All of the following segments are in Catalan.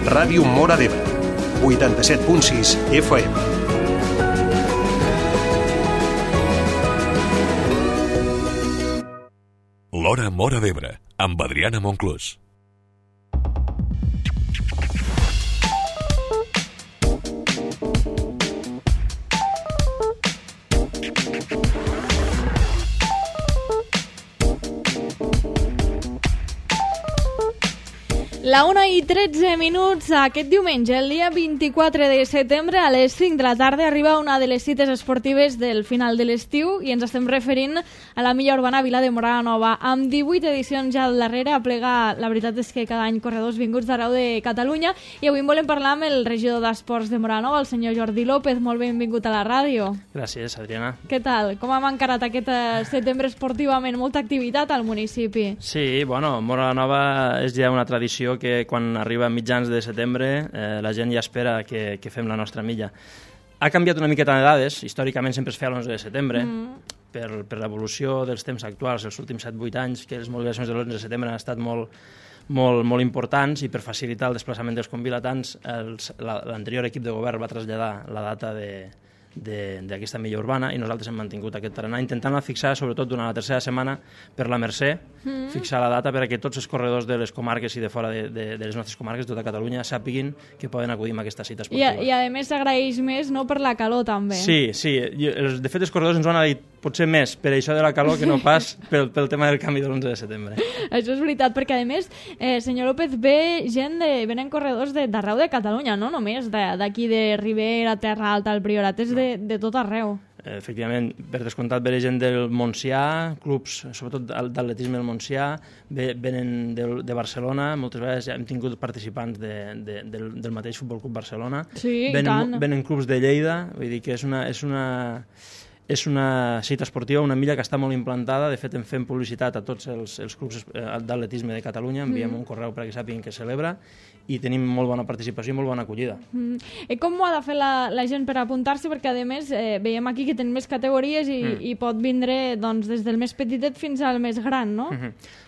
Ràdio Móra d'Ebre, 87.6 FM. L'Hora Móra d'Ebre, amb Adriana Monclús. La 1:13 aquest diumenge, el dia 24 de setembre, a les 5 de la tarda, arriba una de les cites esportives del final de l'estiu i ens estem referint a la Milla Urbana Vila de Móra la Nova. Amb 18 edicions ja al darrere, aplega, la veritat és que cada any corredors vinguts d'arreu de Catalunya, i avui volem parlar amb el regidor d'Esports de Móra la Nova, el senyor Jordi López. Molt benvingut a la ràdio. Gràcies, Adriana. Què tal? Com hem encarat aquest setembre esportivament? Molta activitat al municipi. Sí, bueno, Móra la Nova és ja una tradició que quan arriba a mitjans de setembre la gent ja espera que fem la nostra milla. Ha canviat una miqueta de dades, històricament sempre es feia l'11 de setembre, per l'evolució dels temps actuals, els últims 7-8 anys, que les mobilitzacions de l'11 de setembre han estat molt importants, i per facilitar el desplaçament dels convilatants, l'anterior equip de govern va traslladar la data d'aquesta milla urbana i nosaltres hem mantingut aquest tarannà, intentant-la fixar sobretot durant la tercera setmana per la Mercè, fixar la data perquè tots els corredors de les comarques i de fora de les nostres comarques, de tota Catalunya, sàpiguin que poden acudir a aquesta cita esportiva. I a més s'agraeix més, no?, per la calor també. Sí. De fet els corredors ens ho han dit potser més per això de la calor que no pas pel tema del canvi de l'11 de setembre. Això és veritat, perquè a més, senyor López, venen corredors d'arreu de Catalunya, no només d'aquí de Ribera, Terra Alta, el Priorat, és de tot arreu. Efectivament, per descomptat ve gent del Montsià, clubs, sobretot d'atletisme del Montsià, venen de Barcelona, moltes vegades ja hem tingut participants del mateix Futbol Club Barcelona, sí, venen clubs de Lleida, vull dir que és una cita esportiva, una milla que està molt implantada. De fet, en fem publicitat a tots els clubs d'atletisme de Catalunya, enviem un correu perquè sàpiguen que celebra, i tenim molt bona participació i molt bona acollida. I com ho ha de fer la gent per apuntar-s'hi? Perquè, a més, veiem aquí que tenen més categories i pot vindre des del més petitet fins al més gran, no?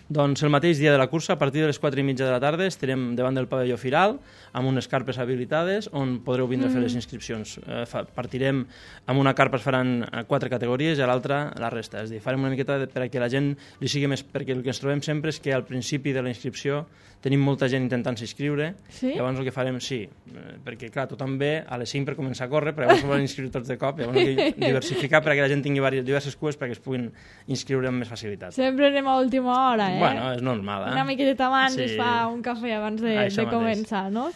Doncs el mateix dia de la cursa, a partir de les 4:30 de la tarda, estarem davant del pavelló Firal, amb unes carpes habilitades, on podreu vindre a fer les inscripcions. Partirem amb una carpa, es faran 4 categories, i a l'altra la resta. És a dir, farem una miqueta perquè la gent li sigui més... Perquè el que ens trobem sempre és que al principi de la inscripció tenim molta gent intentant-se inscriure, sí? Llavors el que farem, perquè clar, tothom ve a les 5 per començar a córrer, però llavors volen inscriure tots de cop, llavors hem de diversificar perquè la gent tingui diverses cues perquè es puguin inscriure amb més facilitat. Sempre anem a última hora, Bueno, és normal, Una miqueta abans es fa un cafè abans de començar, no?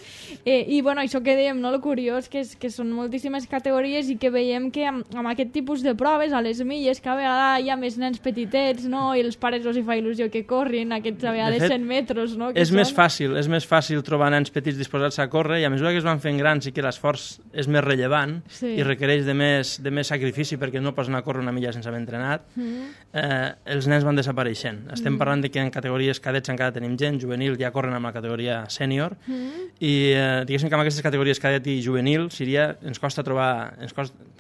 I bueno, això que dèiem, no? El curiós que són moltíssimes categories i que veiem que amb aquest tipus de proves, a les milles, que a vegades hi ha més nens petitets, no? I els pares els hi fa il·lusió que corrin aquests a vegades 100 metres, no? És més fàcil trobar nens petits disposats a córrer, i a mesura que es van fent grans i que l'esforç és més rellevant i requereix de més sacrifici perquè no pots anar a córrer una milla sense haver entrenat, els nens van desapareixent. Estem parlant de que en categories cadets encara tenim gent, juvenil ja corren amb la categoria sènior, i diguéssim que amb aquestes categories cadet i juvenil ens costa trobar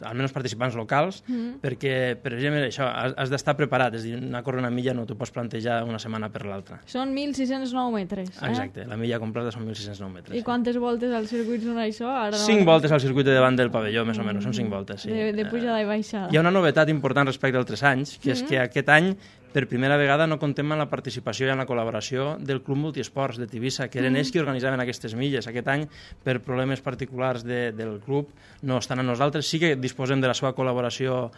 almenys participants locals, perquè, per exemple, això, has d'estar preparat, és a dir, anar a córrer una milla no t'ho pots plantejar una setmana per l'altra. Són 1.609 metres. Exacte, la milla completa són 1.609 metres. I quantes voltes al circuit són això? 5 voltes al circuit de davant del pavelló, més o menys, són 5 voltes, sí. De pujada i baixada. Hi ha una novetat important respecte als altres anys, que és que aquest any per primera vegada no contem amb la participació i amb la col·laboració del Club Multiesports de Tivissa, que eren ells qui organitzaven aquestes milles. Aquest any, per problemes particulars del club, no estan amb nosaltres. Sí que disposem de la seva col·laboració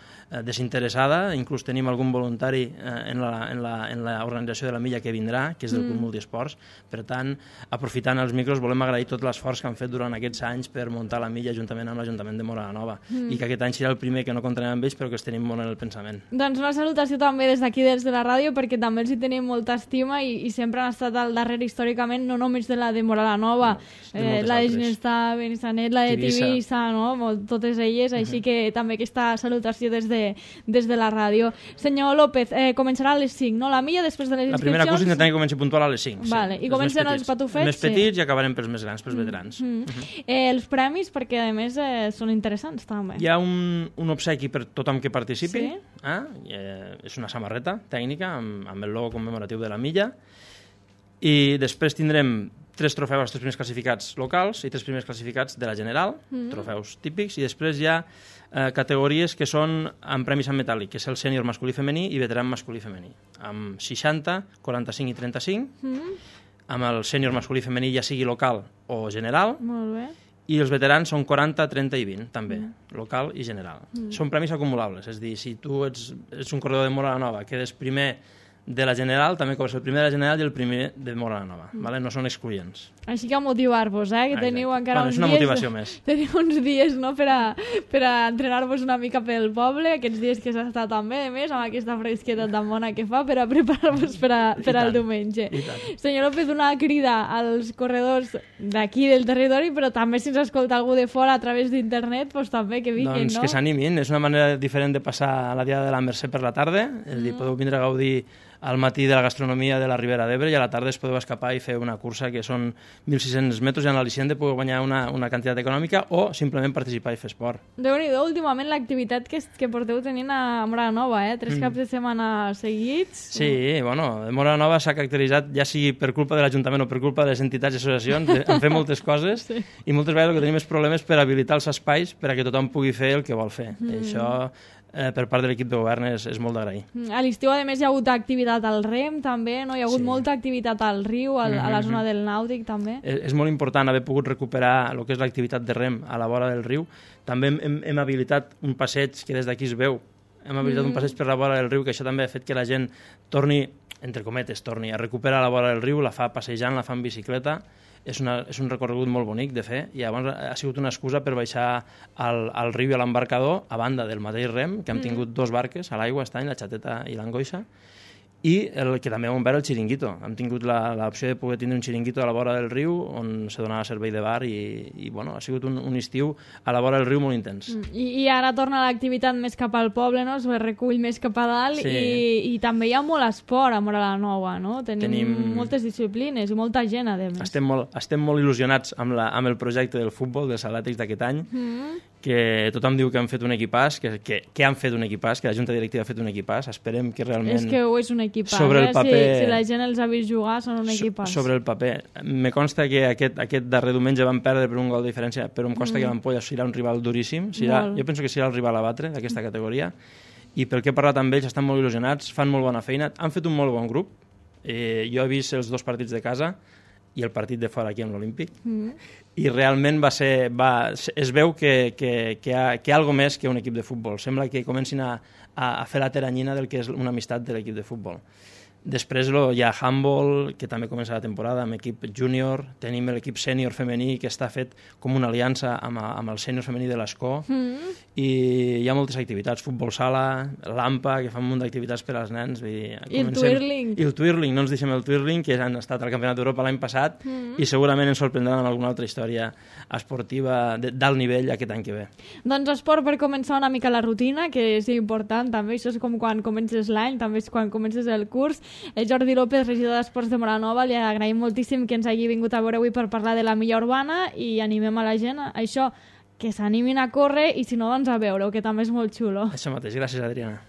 desinteressada, inclús tenim algun voluntari en l'organització de la milla que vindrà, que és del Club Multiesports. Per tant, aprofitant els micros, volem agrair tot l'esforç que han fet durant aquests anys per muntar la milla juntament amb l'Ajuntament de Móra la Nova, i que aquest any serà el primer que no comptarem amb ells, però que els tenim molt en el pensament. Doncs una salutació també des d'aquí, des de la ràdio, perquè també els hi tenim molta estima i sempre han estat al darrere històricament, no només de la de Móra la Nova, la de Ginestar, Benissanet, la de Tivissa, no? Totes elles, així que també aquesta salutació des de la ràdio. Senyor López, començarà a les 5, no? La milla després de les inscripcions... La primera cursa intentem que comenci puntual a les 5. Vale. I comencen els patufets? Més petits i acabarem pels més grans, pels veterans. Els premis, perquè a més són interessants també. Hi ha un obsequi per tothom que participi. És una samarreta tècnica amb el logo commemoratiu de la milla, i després tindrem 3 trofeus als 3 primers classificats locals i 3 primers classificats de la general, trofeus típics, i després hi ha categories que són amb premis en metàl·lic, que és el sènior masculí i femení i veteran masculí i femení, amb 60, 45 i 35, amb el sènior masculí i femení ja sigui local o general. Molt bé. I els veterans són 40, 30 i 20, també, local i general. Són premis acumulables, és a dir, si tu ets un corredor de Móra la Nova, quedes primer de la general, també cobres el primer de la general i el primer de Móra la Nova, ¿vale? No són excloents. Així que a motivar-vos, que teniu encara uns dies... És una motivació més. Teniu uns dies, no?, per a entrenar-vos una mica pel poble, aquests dies que s'ha estat també, a més, amb aquesta fresqueta tan bona que fa, per a preparar-vos per al diumenge. Senyor López, una crida als corredors d'aquí del territori, però també si ens escolta algú de fora a través d'internet, doncs també que vinguin, doncs no? Que s'animin, és una manera diferent de passar la Diada de la Mercè per la tarda, és a dir, podeu vindre a gaudir al matí de la gastronomia de la Ribera d'Ebre i a la tarda es podeu escapar i fer una cursa que són 1.600 metres i en l'al·licient podeu guanyar una quantitat econòmica o simplement participar i fer esport. Déu-n'hi-do, últimament l'activitat que porteu tenint a Móra la Nova, 3 caps de setmana seguits. Sí, bueno, Móra la Nova s'ha caracteritzat, ja sigui per culpa de l'Ajuntament o per culpa de les entitats i associacions, en fer moltes coses i moltes vegades el que tenim és problemes per habilitar els espais per a que tothom pugui fer el que vol fer. I això per part de l'equip de govern és molt d'agrair. A l'estiu, a més, hi ha hagut activitat al rem, també, no? Hi ha hagut molta activitat al riu, a la zona del nàutic, també. És molt important haver pogut recuperar el que és l'activitat de rem a la vora del riu. També hem habilitat un passeig que des d'aquí es veu. Hem habilitat un passeig per la vora del riu, que això també ha fet que la gent torni, entre cometes, a recuperar la vora del riu, la fa passejant, la fa en bicicleta. És un recorregut molt bonic de fer i llavors ha sigut una excusa per baixar al riu i a l'embarcador a banda del mateix rem, que hem tingut 2 barques a l'aigua aquest any, la Xateta i l'Angoixa, i que també hem obert el xiringuito. Hem tingut l'opció de poder tindre un xiringuito a la vora del riu on se donava servei de bar i bueno, ha sigut un estiu a la vora del riu molt intens. I ara torna l'activitat més cap al poble, no? Es recull més cap a dalt i també hi ha molt esport a Móra la Nova, no? Tenim moltes disciplines i molta gent, a més. Estem molt il·lusionats amb el projecte del futbol, dels Atlètics d'aquest any, que tothom diu que han fet un equipàs, que han fet un equipàs, que la Junta Directiva ha fet un equipàs. Esperem que realment... És que ho és un equipàs, sobre el paper, si la gent els ha vist jugar, són un equipàs. Sobre el paper. Me consta que aquest darrer diumenge van perdre per un gol de diferència, però em consta que l'Ampolla serà un rival duríssim. Jo penso que serà el rival a batre d'aquesta categoria. I pel que he parlat amb ells, estan molt il·lusionats, fan molt bona feina, han fet un molt bon grup. Jo he vist els 2 partits de casa i el partit de fora aquí amb l'Olímpic, i realment es veu que hi ha alguna més que un equip de futbol. Sembla que comencin a fer la teranyina del que és una amistat de l'equip de futbol. Després hi ha handball, que també comença la temporada amb equip júnior, tenim l'equip sènior femení que està fet com una aliança amb el sènior femení de l'Escó, i hi ha moltes activitats, futbol sala, l'AMPA, que fa un munt d'activitats per als nens. I el twirling. I el twirling, no ens deixem el twirling, que han estat al Campionat d'Europa l'any passat, i segurament ens sorprendran amb alguna altra història esportiva d'alt nivell aquest any que ve. Doncs esport per començar una mica la rutina, que és important també, això és com quan comences l'any, també és quan comences el curs. Jordi López, regidor d'Esports de Móra la Nova, li agraïm moltíssim que ens hagi vingut a veure avui per parlar de la milla urbana i animem a la gent a això, que s'animin a córrer i si no, doncs a veure-ho, que també és molt xulo. Això mateix, gràcies, Adriana.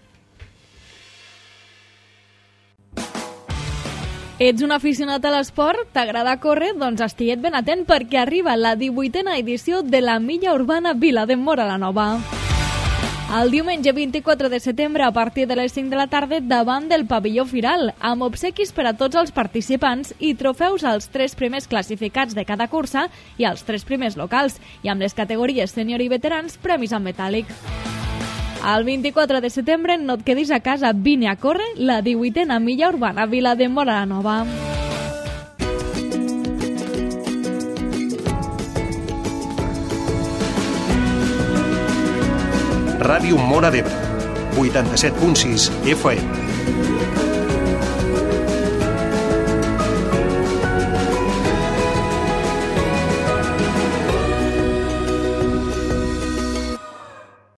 Ets un aficionat a l'esport? T'agrada córrer? Doncs estiguet ben atent perquè arriba la 18a edició de la milla urbana Vila de Móra la Nova. El diumenge 24 de setembre a partir de les 5 de la tarda davant del pavelló Firal, amb obsequis per a tots els participants i trofeus als 3 primers classificats de cada cursa i als 3 primers locals, i amb les categories sènior i veterans premis en metàl·lic. El 24 de setembre no et quedis a casa, vine a córrer la 18a milla urbana Vila de Móra la Nova. Ràdio Móra d'Ebre, 87.6 FM.